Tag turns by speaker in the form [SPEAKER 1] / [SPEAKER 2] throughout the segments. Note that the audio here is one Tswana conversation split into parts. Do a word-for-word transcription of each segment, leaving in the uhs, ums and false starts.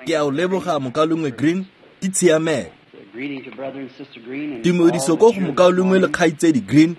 [SPEAKER 1] Ke a o leboga mokaulengwe Green, ke tshiamelo. Tumediso ko go mokaulengwe le kgaitsedi Green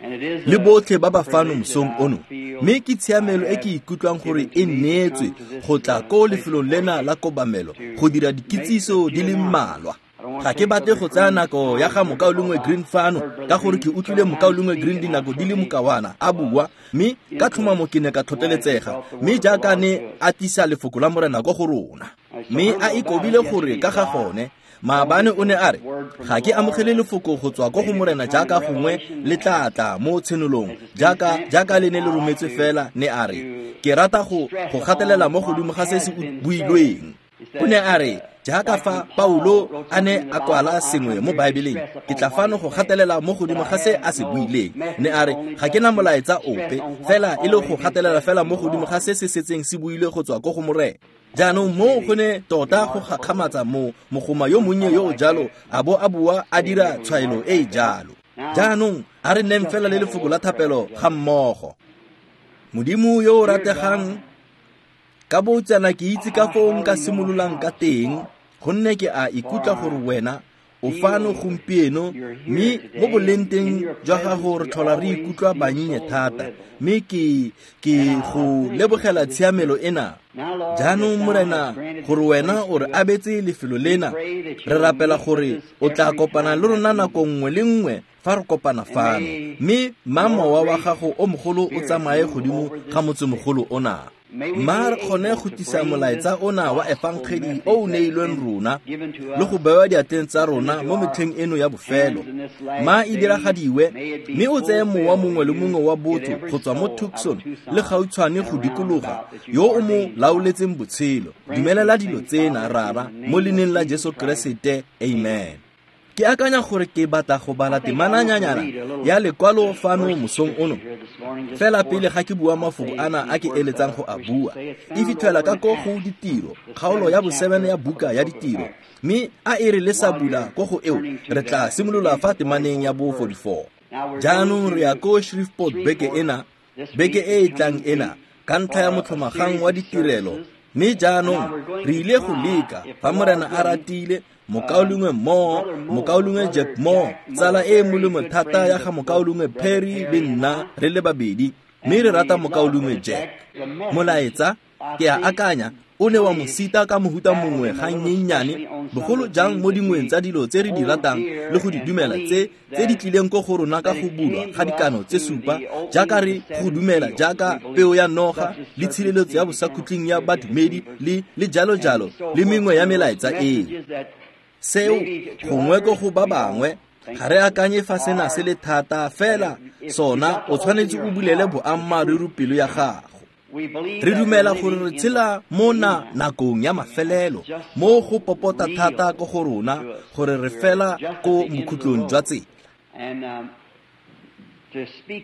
[SPEAKER 1] le botlhe ba ba fano mosong ono. Mme ke tshiamelo e ke ikutlwang gore e neetswe go tla ko lefelong lena la kobamelo go dira dikitsiso di le mmalwa. Ga ke batle go tsaya nako ya ga mokaulengwe Green fano ka gore ke utlwile mokaulengwe Green dinako di le mokawana a bua, mme ka tlhomamo ke ne ka tlhotlheletsega, mme jaaka ne a tlisa lefoko la Morena ko go rona. Mme a ikobile gore ka ga gone, maabane o ne a re, ga ke amogele lefoko go tswa ko go Morena jaaka gongwe le tla tla mo tshenolong, jaaka jaaka le ne le rometswe fela, ne a re, ke rata go go gatelela mo godimo ga se se builweng. O ne a re, jaaka fa Paulo a ne a kwala sengwe mo Baebeleng, ke tla fano go gatelela mo godimo ga se a se buileng. Ne a re, ga ke na molaetsa ope, fela e le go gatelela fela mo godimo ga se se setseng se builwe go tswa ko go Morena. Jaanong mo go ne tota go gakgamatsa mo mogoma yo monnye yo o jalo a bo a bua a dira tshwaelo e e jalo. Jaanong a re nneng fela le lefoko la thapelo ga mmogo. Modimo yo o rategang, ka boutsana ke itse ka foo nka simololang ka teng, gonne ke a ikutlwa gore wena o fano gompieno, mme mo boleng teng jwa gago re tlhola re ikutlwa bannye thata, mme ke ke go lebogela tshiamelo ena. Jaanong Morena, gore wena o re abetse lefelo lena, re rapela gore o tla kopana le rona nako nngwe le nngwe fa re kopana fano, mme mma mowa wa gago o mogolo o tsamaye godimo ga motsemogolo ona. Mma re kgone go tlisa molaetsa ona wa efangedi o o neilweng rona le go bewa diatleng tsa rona mo metlheng eno ya bofelo. Mma e diragadiwe, mme o tseye mowa mongwe le mongwe wa botho go tswa mo Tucson le gautshwane go dikologa yo o mo laoletseng botshelo. Dumelela dilo tsena, Rara, mo leineng la Jesu Keresete, amen. Ke akanya gore ke batla go bala temananyana ya lekwalo fano mosong ono, fela pele ga ke bua mafoko ana a ke eletsang go a bua. E fitlhela ka ko go Ditiro, kgaolo ya bosebene ya buka ya Ditiro, mme a e re le sa bula ko go eo, re tla simolola fa temaneng ya bo forty-four. Jaanong re ya ko Shreveport beke ena, beke e e tlang ena, ka ntlha ya motlhomagang wa ditirelo. Mme jaanong re ile go leka, fa Morena a ratile, mokaulengwe Moore, mokaulengwe Jack Moore, tsala e molemo thata ya ga mokaulengwe Perry le nna re le babedi, mme re rata mokaulengwe Jack. Molaetsa, ke a akanya, o ne wa mo sita ka mohuta mongwe ga nnyennyane, bogolo jang mo dingweng tsa dilo tse re di ratang le go di dumela tse tse di tlileng ko go rona ka go bulwa ga dikano tse supa, jaaka re go dumela jaaka peo ya noga le tshireletso ya bosakhutleng ya badumedi le le jalo jalo le mengwe ya melaetsa eo. Seo gongwe ko go ba bangwe ga re akanye fa sena se le thata, fela sona o tshwanetse o bulele boammaaruri pelo ya gago. Re dumela gore re tshela mo na nakong ya mafelelo, mo go popota thata ko go rona gore re fela ko mokhutlong jwa tsela.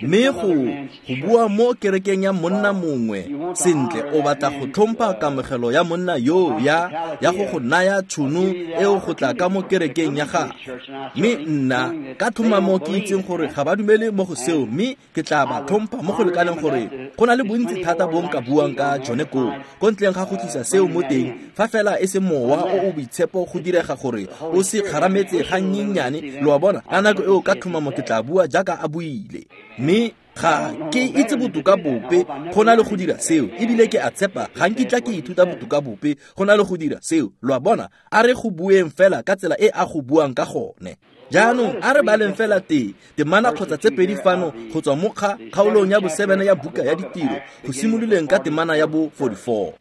[SPEAKER 1] Mme go go bua mo kerekeng ya monna mongwe sentle, o batla go tlhompha kamogelo ya monna yo ya ya go go naya tšhono eo go tla ka mo kerekeng ya gagwe. Mme nna ka tlhomamo ke itseng gore ga ba dumele mo go seo, mme ke tla ba tlhompha mo go lekaneng gore go na le bontsi thata bo nka buang ka jone koo, ko ntleng ga go tlisa seo mo teng, fa fela e se mowa o o boitshepo go direga gore o se kgarametse ga nnyennyane, lo a bona, ka nako eo ka tlhomamo ke tla bua jaaka a buile. Mme ga ke itse botoka bope go na le go dira seo, ebile ke a tshepa ga nkitla ke ithuta botoka bope go na le go dira seo. Lo a bona, a re go bueng fela ka tsela e a go buang ka gone. Jaanong a re baleng fela te temana kgotsa tse pedi fano go tswa mo kgaolong ya bosebene ya buka ya Ditiro, go simololeng ka temana ya bo forty-four.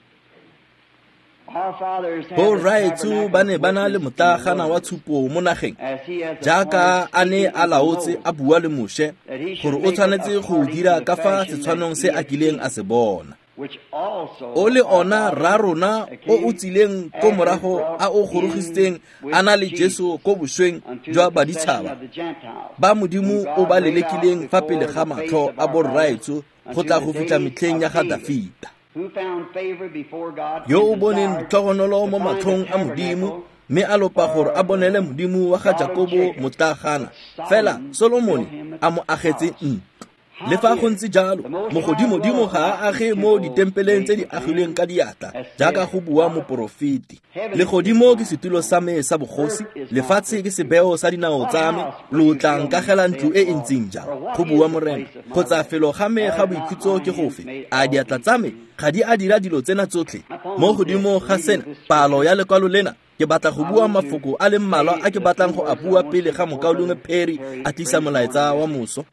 [SPEAKER 1] Borraetsho ba ne ba na le motlaagana wa tshupo mo nageng, jaaka a ne a laotse a bua le Moshe gore o tshwanetse go dira ka fa setshwanong se a kileng a se bona. O le ona rra rona o o tsileng ko morago a o gorogisitseng a na le Jesu ko bosweng jwa baditšhaba ba Modimo o ba lelekileng fa pele ga matlho a borraetsho go tla go fitlha metlheng ya ga Dafita, yo o boneng tlhogonolo mo matlhong a Modimo, mme a lopa gore a bonele Modimo wa ga Jakobo motlaagana, fela Solomone a mo agetse ntlo. Le fa go ntse jalo, mogodimodimo ga a age mo ditempeleng tse di agilweng ka diatla, jaaka go bua moporofeti. Legodimo ke setulo sa me sa bogosi, lefatshe ke sebeo sa dinao tsa me, lo tla nkagela ntlo e e ntseng jang, go bua Morena. Kgotsa felo ga me ga boikhutso ke gofe? A diatla tsa me ga di a dira dilo tsena tsotlhe? Mo godimo ga sena, palo ya lekwalo lena, ke batla go bua mafoko a le mmalwa a ke batlang go a bua pele ga mokaulengwe Perry a tlisa molaetsa wa moso.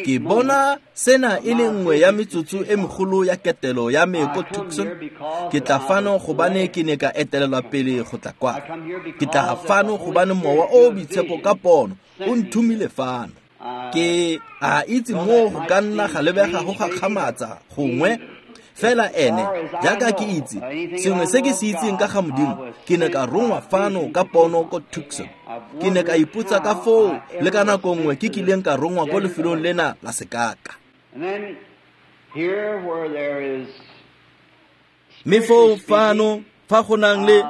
[SPEAKER 1] Ke bona sena e le nngwe ya metsotso e megolo ya ketelo ya me ko Tucson. Ke tla fano gobane ke ne ka etelelwa pele go tla kwa. Ke tla fano gobane mowa o o boitshepo ka pono o nthomile fano. Ke a itse mo go ka nna ga lebega go gakgamatsa gongwe, fela ene jaaka ke itse sengwe se ke se itseng ka ga Modimo, ke ne ka rongwa fano ka pono ko Tucson. Ke ne ka ipotsa ka foo le ka nako nngwe ke kileng ka rongwa ko lefelong lena la sekaka. Mme foo fano fa go nang le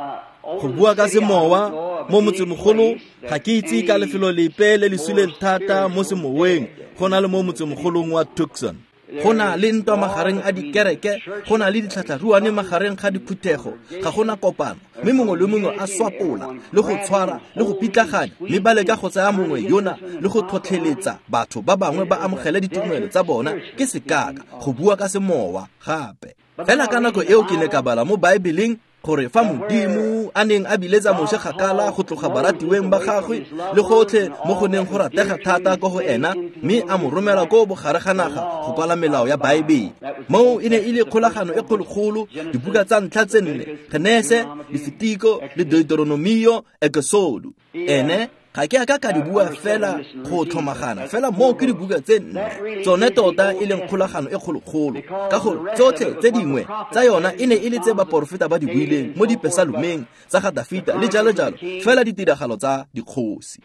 [SPEAKER 1] go bua ka semowa mo motsemogolo, ga ke itse ka lefelo lepe le le suleng thata mo semoweng go na le mo motsemogolong wa Tucson. Go na le ntwa magareng a dikereke, go na le ditlhatlharuane magareng ga diphuthego, ga gona kopano, mme mongwe le mongwe a swapola le go tshwara le go pitlaganya, mme ba leka go tsaya mongwe yona le go tlhotlheletsa batho ba bangwe ba amogele ditumelo tsa bona. Ke sekaka go bua ka semowa gape. Fela ka nako eo ke ne ka bala mo Baebeleng gore fa Modimo a neng a biletsa Moshe kgakala go tloga baratiweng ba gagwe le gotlhe mo go neng go ratega thata ko go ena, mme a mo romela ko bogare ga naga go kwala melao ya Baebele. Moo e ne e le kgolagano e kgologolo, dibuka tsa ntlha tse nne, Genese, Lefitiko le Deuteronomio, Ekesodo. Ene ga ke a ka ka di bua fela go tlhomagana, fela moo ke dibuka tse nne tsone tota e leng kgolagano e kgologolo, ka gore tsotlhe tse dingwe tsa yona e ne e le tse baporofeta ba di buileng mo dipesalomeng tsa ga Dafita le jalo jalo, fela ditiragalo tsa dikgosi.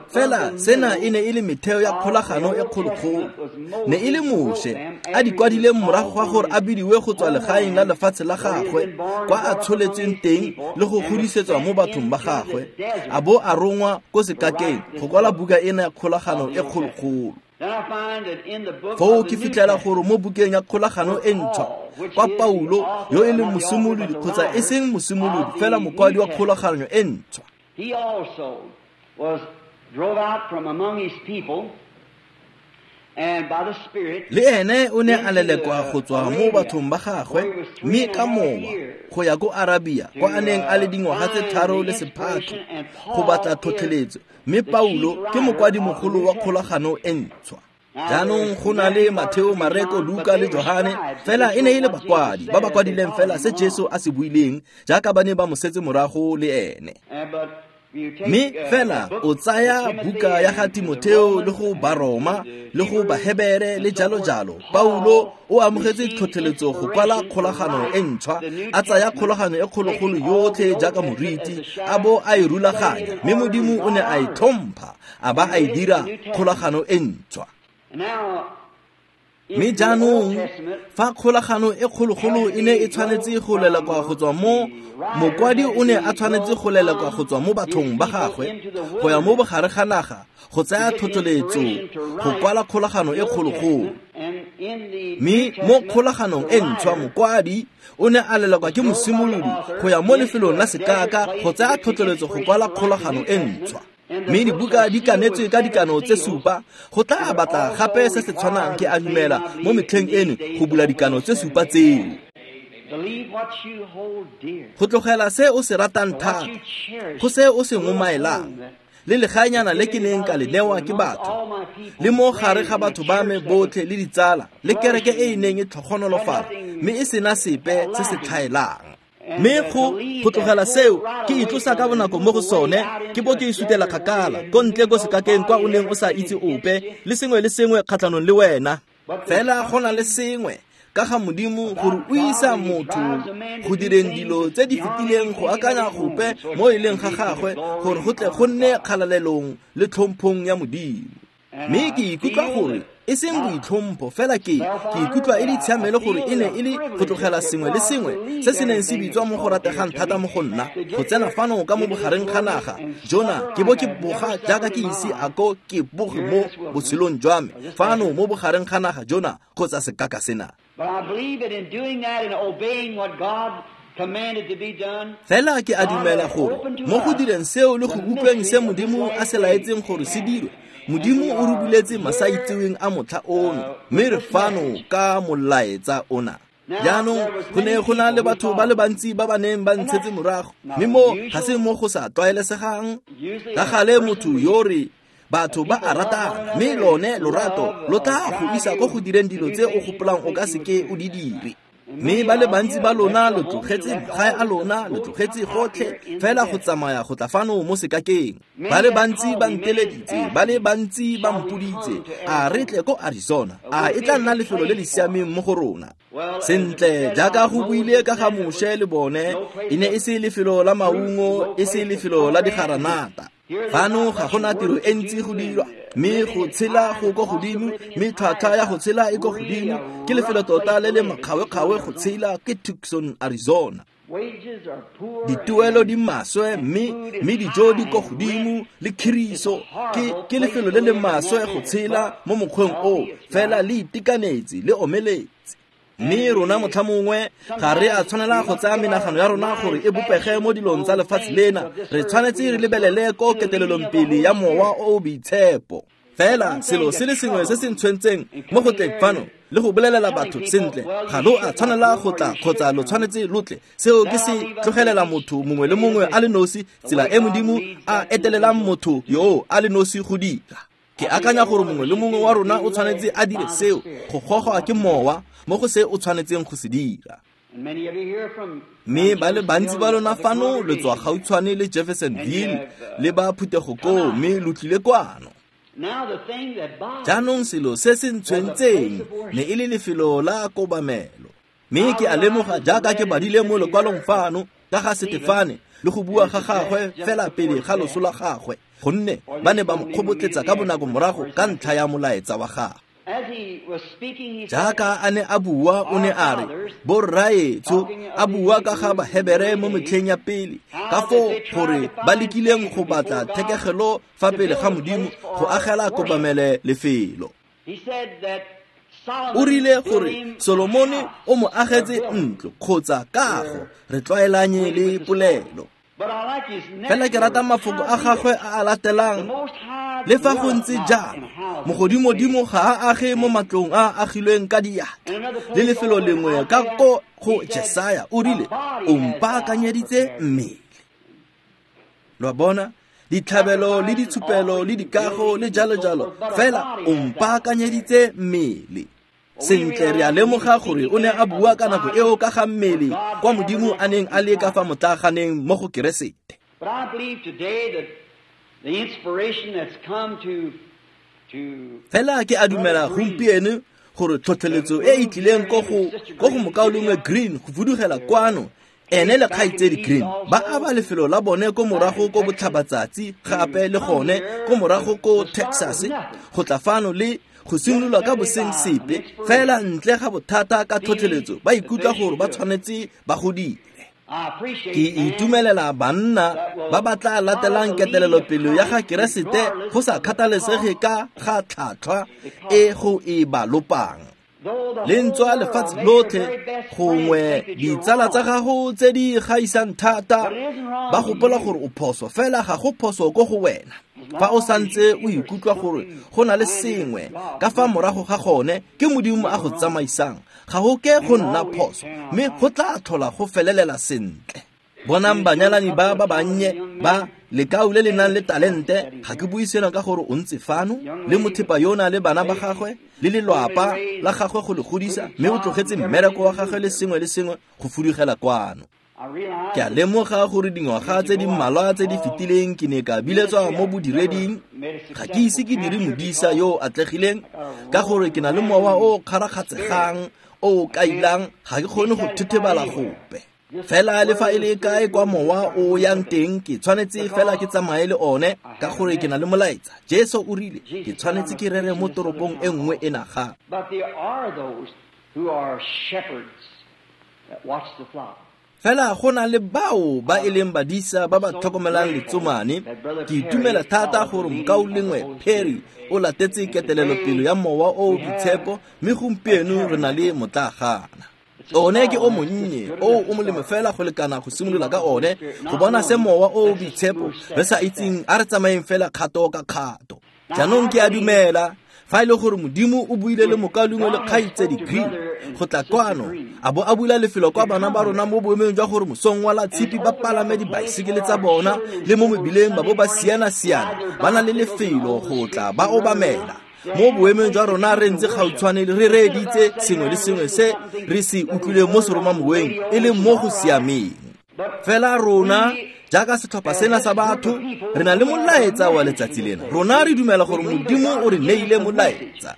[SPEAKER 1] Fela sena e ne e le metheo ya kgolagano e kgologolo. Ne e le Moshe a di kwadileng morago ga gore a bidiwe go tswa legaeng la lefatshe la gagwe kwa a tsholetsweng teng le go godisetswa mo bathong ba gagwe, a bo a rongwa ko sekakeng go kwala buka ena ya kgolagano e kgologolo. Foo ke fitlhela gore mo bukeng ya kgolagano e ntšhwa, kwa Paulo yo e leng mosimolodi kgotsa e seng mosimolodi fela mokwadi wa kgolagano e ntšhwa,
[SPEAKER 2] he also was drove out from among his people, and by the Spirit
[SPEAKER 1] le ene o ne a lelekwa go tswa mo bathong ba gagwe, mme ka mowa go ya ko Arabia kwa a neng a le dingwaga tse tharo le sephatlo go batla tlhotlheletso. Mme Paulo ke mokwadimogolo wa kgolagano e ntšhwa. Jaanong go na le Matheo, Mareko, Luka le Johane, fela e ne e le bakwadi ba ba kwadileng fela se Jesu a se buileng jaaka ba ne ba mo setse morago le ene. Mme fela o tsaya buka ya ga Timotheo le go Baroma le go Bahebere le jalo jalo, Paulo o amogetse tlhotlheletso go kwala kgolagano e ntšhwa, a tsaya kgolagano e kgologolo yotlhe jaaka moriti, a bo a e rulaganya, mme Modimo o ne a e tlhompha a ba a e dira kgolagano e ntšhwa. Mme jaanong fa kgolagano e kgologolo e ne e tshwanetse go lelekwa go tswa mo mokwadi o ne a tshwanetse go lelekwa go tswa mo bathong ba gagwe go ya mo bogare ga naga go tsaya tlhotlheletso go kwala kgolagano e kgologolo. Mme mo kgolaganong e ntšhwa mokwadi o ne a lelekwa ke mosimolodi go ya mo lefelong la sekaka go tsaya tlhotlheletso go kwala kgolagano e ntšhwa. Mme dibuka di kanetswe ka dikano tse supa, go tla batla gape se se tshwanang ke a dumela mo metlheng eno go bula dikano tse supa tseo. Go tlogela se o se ratang thata, go se o se ngomaelang, le legaenyana le ke neng ka le newa ke batho, le mo gare ga batho ba me botlhe le ditsala, le kereke e e neng e tlhogonolofala, mme e sena sepe se se tlhaelang. Mme go go tlogela seo ke itlosa ka bonako mo go sone, ke bo ke isutela kgakala ko ntle ko sekakeng kwa o neng o sa itse ope, le sengwe le sengwe kgatlhanong le wena. Fela go na le sengwe ka ga Modimo gore o isa motho go direng dilo tse di fetileng go akanya gope mo e leng ga gagwe, gore go tle go nne kgalalelong le tlhomphong ya Modimo. Mme ke ikutlwa gore E seng boitlhompho fela ke ke ikutlwa e le tshiamelo gore e ne e le go tlogela sengwe le sengwe se se neng se bitswa mo go rategang thata mo go nna go tsena fano ka mo bogareng ga naga jona ke bo ke boga jaaka ke ise a ko ke boge mo botshelong jwa me fano mo bogareng ga naga jona kgotsa sekaka sena. Fela ke a dumela gore mo go direng seo le go utlweng se Modimo a se laetseng gore se dirwe, Modimo o re buletse masaitseweng a motlha ono, mme re fano ka molaetsa ona. Jaanong go ne go na le batho ba le bantsi ba ba neng ba ntshetse morago, mme mo ga se mo go sa tlwaelesegang. Ka gale motho yo re batho ba a ratana, mme lone lorato lo tla go isa ko go direng dilo tse o gopolang o ka seke o di dire. Mme ba le bantsi ba lona lo tlogetse magae a lona, lo tlogetse gotlhe fela go tsamaya go tla fano mo sekakeng. Ba le bantsi ba nteleditse, ba le bantsi ba mpoditse, a re tle ko Arizona, a e tla nna lefelo le le siameng mo go rona. Sentle, jaaka go buile ka ga Moshe le bone, e ne e se lefelo la maungo, e se lefelo la digaranata. Fano ga gona tiro e ntsi go dirwa, mme go tshela go ko godimo, mme tlhwatlhwa ya go tshela e ko godimo. Ke lefelo tota le le makgawekgawe go tshela ke Tucson, Arizona. Dituelo di maswe, mme mme dijo di ko godimo le khiriso. Ke ke lefelo le le maswe go tshela mo mokgweng o, fela le itekanetse le omeletse. Mme rona motlha mongwe ga re a tshwanela go tsaya menagano ya rona gore e bopege mo dilong tsa lefatshe lena. Re tshwanetse re lebelele ko ketelelong pele ya mowa o o boitshepo. Fela selo se le sengwe se se ntshwentseng mo go tleng fano le go bolelela batho sentle, ga lo a tshwanela go tla kgotsa lo tshwanetse lo tle. Seo ke se tlogelela motho mongwe le mongwe a le nosi, tsela e Modimo a etelelang motho yo a le nosi go dira. Ke akanya gore mongwe le mongwe wa rona o tshwanetse a dire seo, go gogwa ke mowa mo go se o tshwanetseng go se dira. Mme ba le bantsi ba lona fano le tswa gautshwane le Jeffersonville le ba phuthego koo, mme lo tlile kwano. Jaanong selo se se ntshwentseng ne e le lefelo la kobamelo. Mme ke a lemoga jaaka ke badile mo lekwalong fano ka ga Setefane le go bua ga gagwe fela pele ga loso la gagwe, gonne ba ne ba mo kgobotletsa ka bonako morago ka ntlha ya molaetsa wa gagwe. Jaaka a ne a bua, o ne a re, borraetsho, a bua ka ga Bahebere mo metlheng ya pele, ka foo gore ba lekileng go batla thekegelo fa pele ga Modimo go agela kobamele lefelo. O rile gore Solomone o mo agetse ntlo kgotsa kago, re tlwaelanye le polelo. Fela ke rata mafoko a gagwe a a latelang. Le fa go ntse jalo, mogodimodimo ga a age mo matlong a a agilweng ka diatla. Le lefelo lengwe ka ko go Jesaya o rile, o mpaakanyeditse mmele. Lo a bona, ditlhabelo le ditshupelo le dikago le jalo jalo, fela o mpaakanyeditse mmele. Sentle, re a lemoga gore o ne a bua ka nako eo ka ga mmele kwa Modimo a neng a le ka fa motlaganeng mo go Keresete. Fela ke a dumela gompieno gore tlhotlheletso e e tlileng ko go ko go mokaulengwe Green go fudugela kwano, ene le kgaitsedi Green ba aba lefelo la bone ko morago ko botlhabatsatsi, gape le gone ko morago ko Texas, go tla fano le go simolola ka boseng sepe fela ntle ga bothata ka tlhotlheletso, ba ikutlwa gore ba tshwanetse ba go dire. Ke itumelela banna ba ba tla latelang ketelelopele ya ga Keresete go sa kgathalesege ka ga tlhatlhwa e go e ba lopang. Le ntswa lefatshe lotlhe gongwe ditsala tsa gago tse di gaisang thata ba gopola gore o phoso, fela ga go phoso ko go wena. Fa o santse o ikutlwa gore go na le sengwe ka fa morago ga gone ke Modimo a go tsamaisang, ga go ke go nna phoso, mme go tla tlhola go felelela sentle. Bonang banyalani ba ba bannye ba lekau le le nang le talente, ga ke bue seno ka gore o ntse fano le mothepa yona le bana ba gagwe le lelwapa la gagwe go le godisa, mme o tlogetse mmereko wa gagwe le sengwe le sengwe go fudugela kwano. Ke a lemoga gore dingwaga tse di mmalwa tse di fetileng ke ne ka biletswa mo bodireding. Ga ke ise ke dire modisa yo o atlegileng ka gore ke na le mowa o o kgarakgatsegang o o kailang, ga ke kgone go thethebala gope. Fela le fa e le kae kwa mowa o yang teng, ke tshwanetse fela ke tsamaye le one, ka gore ke na le molaetsa. Jesu o rile ke tshwanetse ke rere mo toropong e nngwe e naga. Fela go na le bao ba e leng badisa ba ba tlhokomelang letsomane. Ke itumela thata gore mokaulengwe Perry o latetse ketelelopele ya mowa o o boitshepo, mme gompieno re na le motlaagana. One ke o monnye o o molemo fela go lekana go simolola ka one, go bona se mowa o o boitshepo re sa itseng, a re tsamayeng fela kgato ka kgato. Jaanong ke a dumela fa e le gore Modimo o buile le mokaulengwe le kgaitsedi Green go tla kwano, a bo a bula lefelo kwa bana ba rona mo boemong jwa gore mosong wa la tshipi ba palame dibaesekele tsa bona le mo mebileng ba bo ba siana-siana, ba na le lefelo go tla ba obamela. Mo boemong jwa rona re ntse gautshwane re reeditse sengwe le sengwe se re se utlwileng mo seromamoweng e leng mo go siameng. Fela rona jaaka setlhopha sena sa batho re na le molaetsa wa letsatsi lena. Rona re dumela gore Modimo o re neile molaetsa.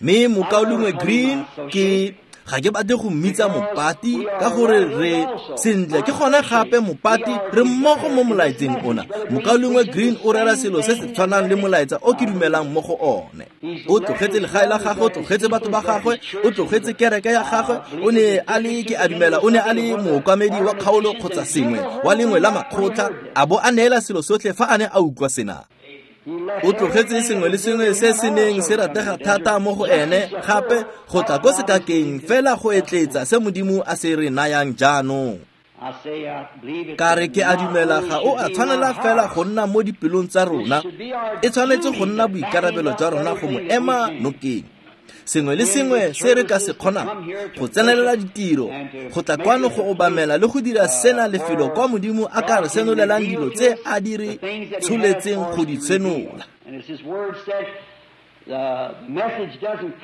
[SPEAKER 1] Mme mokaulengwe Green ke ga ke batle go mmitsa mopati ka gore re sentle ke gone gape mopati re mmogo mo molaetseng ona. Mokaulengwe Green o rera selo se se tshwanang le molaetsa o ke dumelang mo go one. O tlogetse legae la gagwe, o tlogetse batho ba gagwe, o tlogetse kereke ya gagwe, o ne a le ke a dumela o ne a le mookamedi wa kgaolo kgotsa sengwe wa lengwe la makgotla, a bo a neela selo sotlhe fa a ne a utlwa sena. O tlogetse sengwe le sengwe se se neng se ratega thata mo go ene gape go tla ko sekakeng fela go etletsa se Modimo a se re nayang jaanong. Ka re ke a dumela ga o a tshwanela fela go nna mo dipelong tsa rona, e tshwanetse go nna boikarabelo jwa rona go mo ema nokeng. Sengwe le sengwe se re ka se kgonang go tsenelela ditiro, go tla kwano go obamela le go dira sena lefelo kwa Modimo a ka re senolelang dilo tse a di re tsholetseng go di tshenola.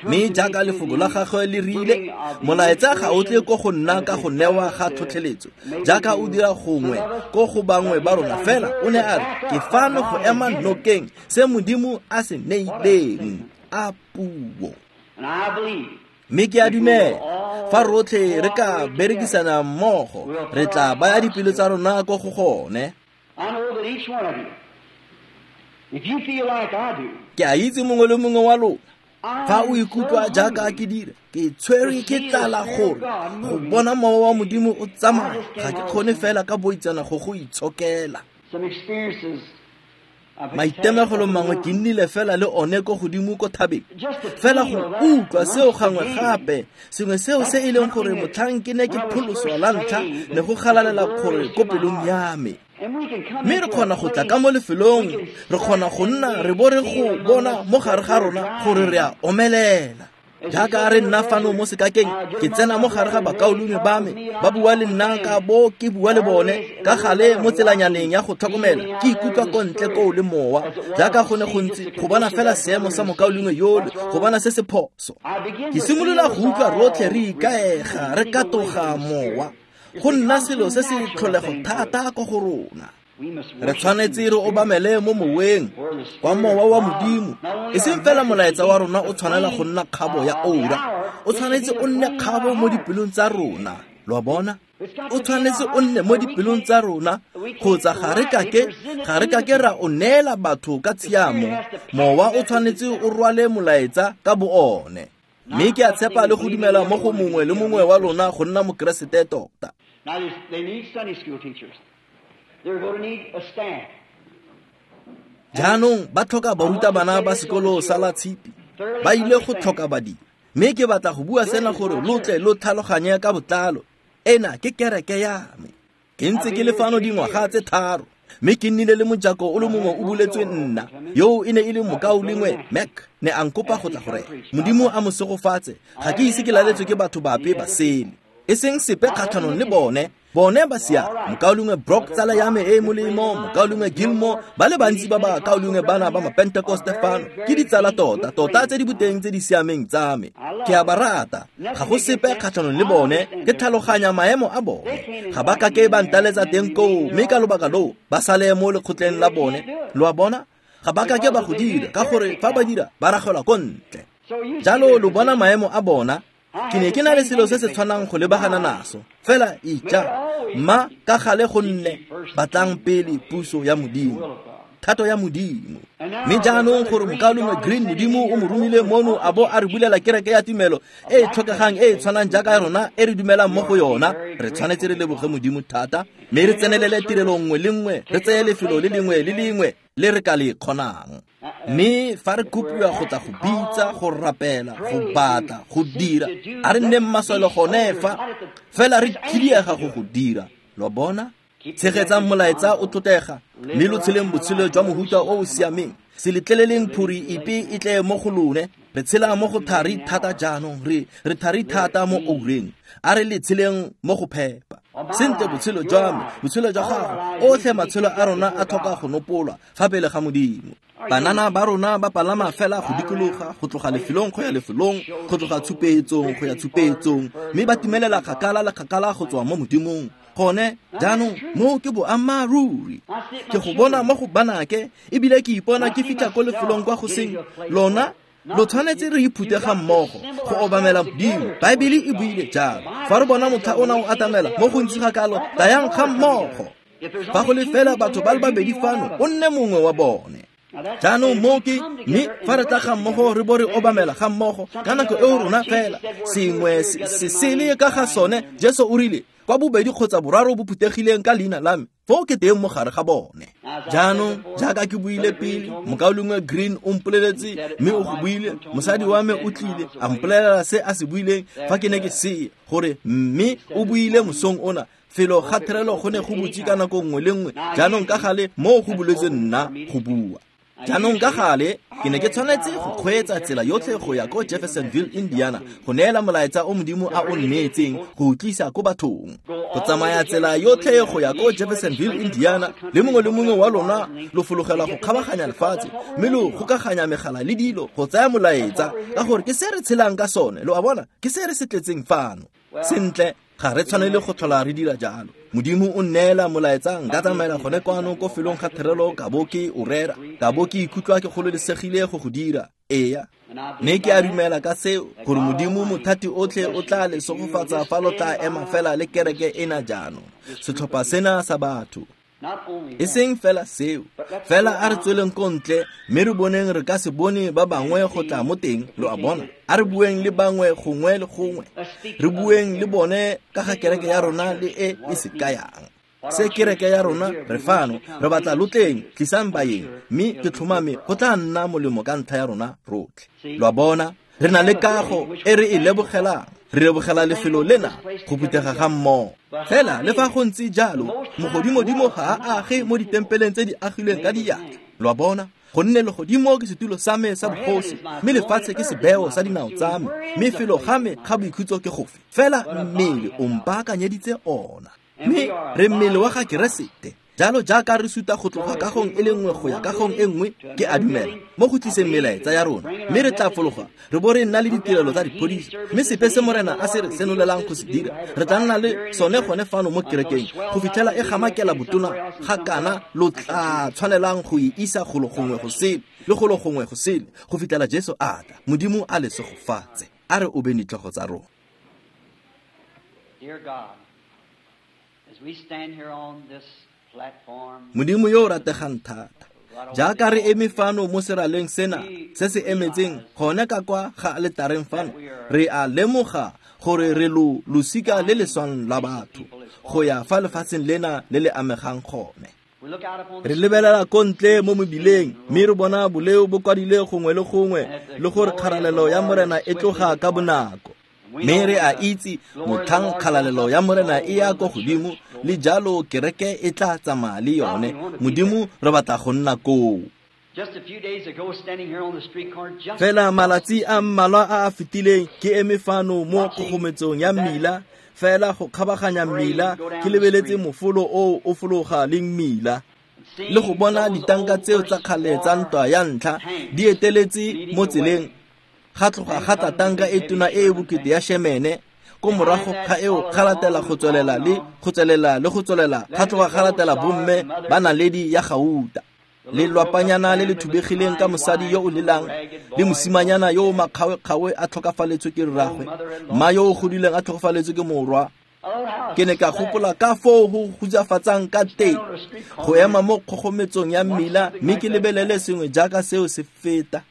[SPEAKER 1] Mme jaaka lefoko la gagwe le rile, molaetsa ga o tle ko go nna ka go newa ga tlhotlheletso jaaka o dira gongwe ko go bangwe ba rona, fela o ne a re ke fano go ema nokeng se Modimo a se neileng a puo. Mme ke a dumela fa rotlhe re ka berekisana mmogo re tla baya dipelo tsa rona ko go gone. Ke a itse mongwe le mongwe wa lona fa o ikutlwa jaaka ke dira, ke tshwerwe ke tlala gore go bona mowa wa Modimo o tsamaya, ga ke kgone fela ka boitsana go go itshokela. Maitemogelo mangwe ke nnile fela le one ko godimo ko thabeng, fela go utlwa seo gangwe gape, sengwe seo se e leng gore motlhang ke ne ke pholoswa la ntlha ne go galalela gore ko pelong ya me. Mme re kgona go tla ka mo lefelong, re kgona go nna re bo re go bona mo gare ga rona gore re a omelela. Jaaka re nna fano mo sekakeng, ke tsena mo gare ga bakaulengwe ba me, ba bua le nna ka bo ke bua le bone ka gale mo tselanyaneng ya go tlhokomela, ke ikutlwa ko ntle koo le mowa jaaka go ne go ntse go bona fela seemo sa mokaulengwe yole, go bona se se phoso. Ke simolola go utlwa rotlhe re ikaega, re katoga mowa, go nna selo se se tlholego thata ko go rona. Re tshwanetse re obamele mo moweng kwa mowa wa Modimo. E seng fela molaetsa wa rona o tshwanela go nna kgabo ya oura, o tshwanetse o nne kgabo mo dipelong tsa rona. Lo a bona? O tshwanetse o nne mo dipelong tsa rona, kgotsa ga re kake ga re kake ra o neela batho ka tshiamo. Mowa o tshwanetse o rwale molaetsa ka bo one. Mme ke a tshepa le go dumela mo go mongwe le mongwe wa lona go nna mokeresete tota. Jaanong ba tlhoka barutabana ba sekolo sa la tshipi, ba ile go tlhoka badiri. Mme ke batla go bua sena gore lo tle lo tlhaloganye ka botlalo. Ena ke kereke ya me. Ke ntse ke le fano dingwaga tse tharo, mme ke nnile le mojako o le mongwe o buletswe nna, yo e ne e le mokaulengwe Mac ne a nkopa go tla go rera. Modimo a mo segofatse, ga ke ise ke laletswe ke batho bape ba sele, e seng sepe kgatlhanong le bone. Bone ba sia mokaulengwe Brock tsala ya me e molemo, mokaulengwe Gilmore, ba le bantsi ba bakaulengwe bana ba Mapentekoste fano ke ditsala tota tota tse di boteng tse di siameng tsa me. Ke a ba rata, ga go sepe kgatlhanong le bone, ke tlhaloganya maemo a bone. Ga ba kake ba ntaletsa teng koo, mme ka lobaka loo ba sale mo lekgotleng la bone. Lo a bona? Ga ba kake ba go dira, ka gore fa ba dira ba ragelwa ko ntle. Jalo lo bona maemo a bona. Ke ne ke na le selo se se tshwanang go lebagana naso. Fela ija, mma ka gale go nne batlang pele puso ya Modimo, thato ya Modimo. Mme jaanong gore mokaulengwe Green Modimo o mo romile mono a bo a re bulela kereke ya tumelo e e tlhokegang e e tshwanang jaaka rona e re dumelang mo go yona, re tshwanetse re leboge Modimo thata, mme re tsenelele tirelo nngwe le nngwe, re tseye lefelo le lengwe le lengwe le re ka le kgonang. Mme fa re kopiwa go tla go bitsa, go rapela, go batla, go dira, a re nneng masole gone fa, fela re khidiega go go dira. Lo bona? Tshegetsang molaetsa o tlotlega, mme lo tsheleng botshelo jwa mohuta o o siameng. Se letleleleng phuri epe e tle mo go lone. Re tshela mo go thari thata jaanong, re re thari thata mo oureng. A re le tsheleng mo go phepa. Sentle botshelo jwa me, botshelo jwa gago, otlhe matshelo a rona a tlhoka go nopolwa fa pele ga Modimo. Banana ba rona ba palama fela go dikologa, go tloga lefelong go ya lefelong, go tloga tshupetsong go ya tshupetsong, mme ba timelela kgakala le kgakala go tswa mo Modimong. Gone jaanong moo ke boammaaruri. Ke go bona mo go banake, ebile ke ipona ke fitlha ko lefelong kwa go seng lona. Lo tshwanetse re iphute ga mmogo go obamela Modimo. Baebele e buile jalo. Fa re bona motlha ona o atamela mo gontsi ga kalo, tlayang ga mmogo. Fa go le fela batho ba le babedi fano, o nne mongwe wa bone. Jaanong moo ke, mme fa re tla ga mmogo re bo re obamela ga mmogo ka nako eo rona fela sengwe se sele ka ga sone. Jesu o rile kwa bobedi kgotsa boraro bo phuthegileng ka leina la me, foo ke teng mo gare ga bone. Jaanong jaaka ke buile pele, mokaulengwe Green o mpoleletse, mme o go buile, mosadi wa me o tlile a mpolelela se a se buileng fa ke ne ke seye, gore mme o buile mosong ona felo ga therelo go ne go butse ka nako nngwe le nngwe. Jaanong ka gale moo go buletse nna go bua. Jaanong ka gale ke ne ke tshwanetse go kgweetsa tsela yotlhe go ya ko Jeffersonville, Indiana, go neela molaetsa o Modimo a o nneetseng go utlwisa ko bathong. Go tsamaya tsela yotlhe go ya ko Jeffersonville, Indiana, le mongwe le mongwe wa lona lo fologela go kgabaganya lefatshe, mme lo gokaganya megala le dilo go tsaya molaetsa, ka gore ke se re tshelang ka sone. Lo a bona, ke se re se tletseng fano. Sentle, ga re tshwanele go tlhola re dira jalo. Modimo o nneela molaetsa, nka tsamaela gone kwano ko felong ga therelo ka bo ke o rera, ka bo ke ikutlwa ke gololesegile go go dira. Eya, mme ke a dumela ka seo, gore Modimo mothati otlhe o tla le segofatsa fa lo tla ema fela le kereke ena jaanong, setlhopha sena sa batho. E seng fela seo, fela a re tsweleng ko ntle, mme re boneng re ka se bone ba bangwe go tla mo teng. Lo a bona, a re bueng le bangwe gongwe le gongwe, re bueng le bone ka ga kereke ya rona le e e se kayang. Se kereke ya rona re fano, re batla lo tleng, tlisang baeng, mme ke tlhomame go tla nna molemo ka ntlha ya rona rotlhe. Lo a bona, re na le kago e re e lebogelang, re lebogela lefelo lena go phuthega ga mmogo. Fela le fa go ntse jalo, mogodimodimo ga a age mo ditempeleng tse di agilweng ka diatla. Lo a bona, gonne legodimo ke setulo sa me sa bogosi, mme lefatshe ke sebeo sa dinao tsa me, mme felo ga me ga boikhutso ke gofe. Fela mmele o mpaakanyeditse ona, mme re mmele wa ga Keresete. Jalo jaaka re suta go tloga kagong e le nngwe go ya kagong e nngwe, ke a dumela mo go tliseng melaetsa ya rona, mme re tla fologa re bo re nna le ditirelo tsa diphodisa, mme sepe se Morena a se re senolelang go se dira, re tla nna le sone gone fano mo kerekeng go fitlhela e gamakela botona ga kana lo tla tshwanelang go e isa golo gongwe go sele le golo gongwe go sele go fitlhela Jesu a tla. Modimo a le segofatse. A re obeng ditlhogo tsa rona.
[SPEAKER 2] Dear God, as we stand here on this
[SPEAKER 1] Modimo yo o rategang thata, jaaka re eme fano mo seraleng sena se se emetseng gone ka kwa ga aletareng fano, re a lemoga gore re lo losika le le swang la batho go ya fa lefatsheng lena le le amegang gone. Re lebelela ko ntle mo mebileng, mme re bona boleo bo kwadile gongwe le gongwe, le gore kgalalelo ya Morena e tloga ka bonako. Mme re a itse motlhang kgalalelo ya Morena e ya ko godimo, le jalo kereke e tla tsamaya le yone. Modimo re batla go nna koo. Fela malatsi a mmalwa a a fetileng ke eme fano mo kgogometsong ya mmila, fela go kgabaganya mmila ke lebeletse mofolo o o fologa le mmila, le go bona ditanka tseo tsa kgale tsa ntwa ya ntlha di eteletse mo tseleng. Ga tloga ga tla tanka e tona e e bokete ya Shemene, ko morago ga eo ga latela go tswelela le go tswelela le go tswelela, ga tloga ga latela bomme ba naledi ya gauta. Lelwapanyana le le thubegileng ka mosadi yo o lelang, le mosimanyana yo o makgawekgawe a tlhokafaletswe ke rragwe, mma yo o godileng a tlhokafaletswe ke morwa. Ke ne ka gopola ka foo go hutsafatsang ka teng go ema mo kgogometsong ya mmila mme ke lebelele sengwe jaaka seo se feta.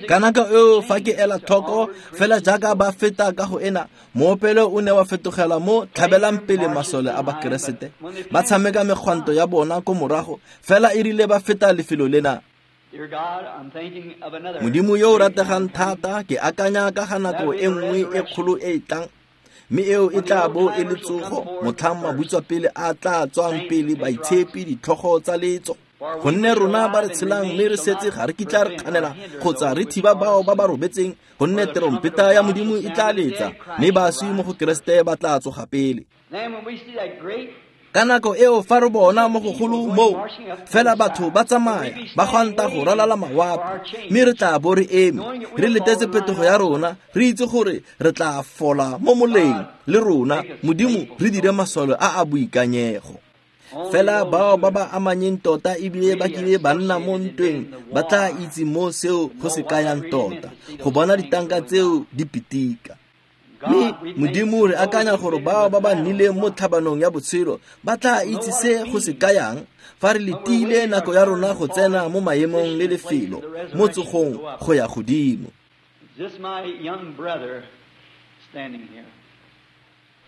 [SPEAKER 1] Ka nako eo fa ke ela tlhoko fela jaaka ba feta ka go ena, moopelo o ne wa fetogela mo tlhabelang pele masole a Bakeresete ba tshameka megwanto ya bona ko morago, fela e rile ba feta lefelo lena. Modimo yo o rategang thata, ke akanya ka ga nako e nngwe e kgolo e e tlang, mme eo e tla bo e le tsogo, motlhang mabutswapele a tla tswang pele baitshepi ditlhogo tsa letso. Gonne rona ba re tshelang mme re setse ga re kitla re kganela kgotsa re thiba bao ba ba robetseng, gonne terompeta ya Modimo e tla letsa, mme baswi mo go Keresete ba tla tsoga pele. Ka nako eo fa re bona mo gogolo moo, fela batho ba tsamaya ba gwanta go ralala mawapi, mme re tla bo re eme re letetse phetogo ya rona, re itse gore re tla fola mo moleng le rona. Modimo re dire masole a a boikanyego. Fela bao ba ba amanyeng tota ebile ba kile ba nna mo ntweng ba tla itse mo seo go se kayang tota, go bona ditanka tseo di pitika. Mme Modimo re akanya gore bao ba ba nnileng mo tlhabanong ya botshelo ba tla itse se go se kayang fa re letile nako ya rona go tsena mo maemong le lefelo mo tsogong go ya godimo.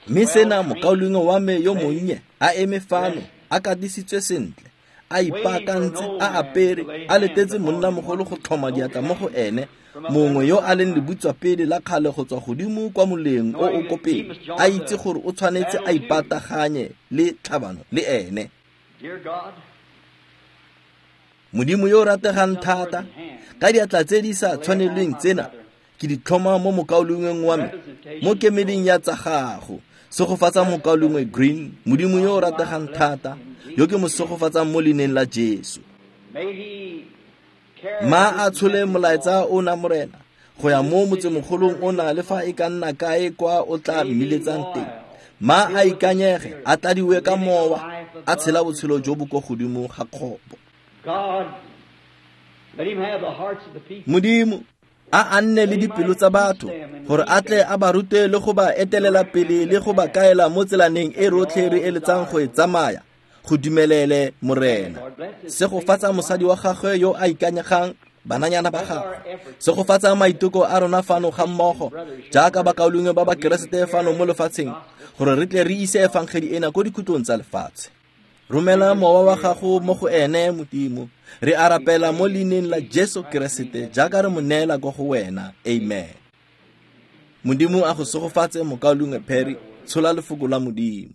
[SPEAKER 1] Mme sena mokaulengwe wa me yo monnye a eme fano a katisitswe sentle, a ipaakantse, a apere, a letetse monnamogolo go tlhoma diatla mo go ene, mongwe yo a leng lebutswapele la kgale go tswa godimo kwa moleng o o ko pele, a itse gore o tshwanetse a ipataganye le tlhabano le ene. Modimo yo o rategang thata, ka diatla tse di sa tshwanelweng tsena ke di tlhoma mo mokaulengweng wa me mo kemeding ya tsa gago. Segofatsa mokaulengwe Green, Modimo yo o rategang thata, yo ke mo segofatsang mo leineng la Jesu. Ma a tshole molaetsa ona Morena go ya mo motsemogolong ona le fa e ka nna kae kwa o tla mmiletsang teng. Ma a ikanyege, a tladiwe ka mowa, a tshela botshelo jo bo ko godimo ga kgopo. Modimo a a nne le dipelo tsa batho gore a tle a ba rute le go ba etelela pele le go ba kaela mo tselaneng e rotlhe re eletsang go e tsamaya. Go dumelele Morena. Segofatsa mosadi wa gagwe yo a ikanyegang, bananyana ba gagwe. Segofatsa maiteko a rona fano ga mmogo jaaka bakaulengwe ba Bakeresete fano mo lefatsheng, gore re tle re ise efangedi ena ko dikhutlong tsa lefatshe. Romela mowa wa gago mo go ene Modimo. Re a rapela mo leineng la Jesu Keresete jaaka re mo neela ko go wena. Amen. Modimo a go segofatse mokaulengwe Perry, tshola lefoko la Modimo.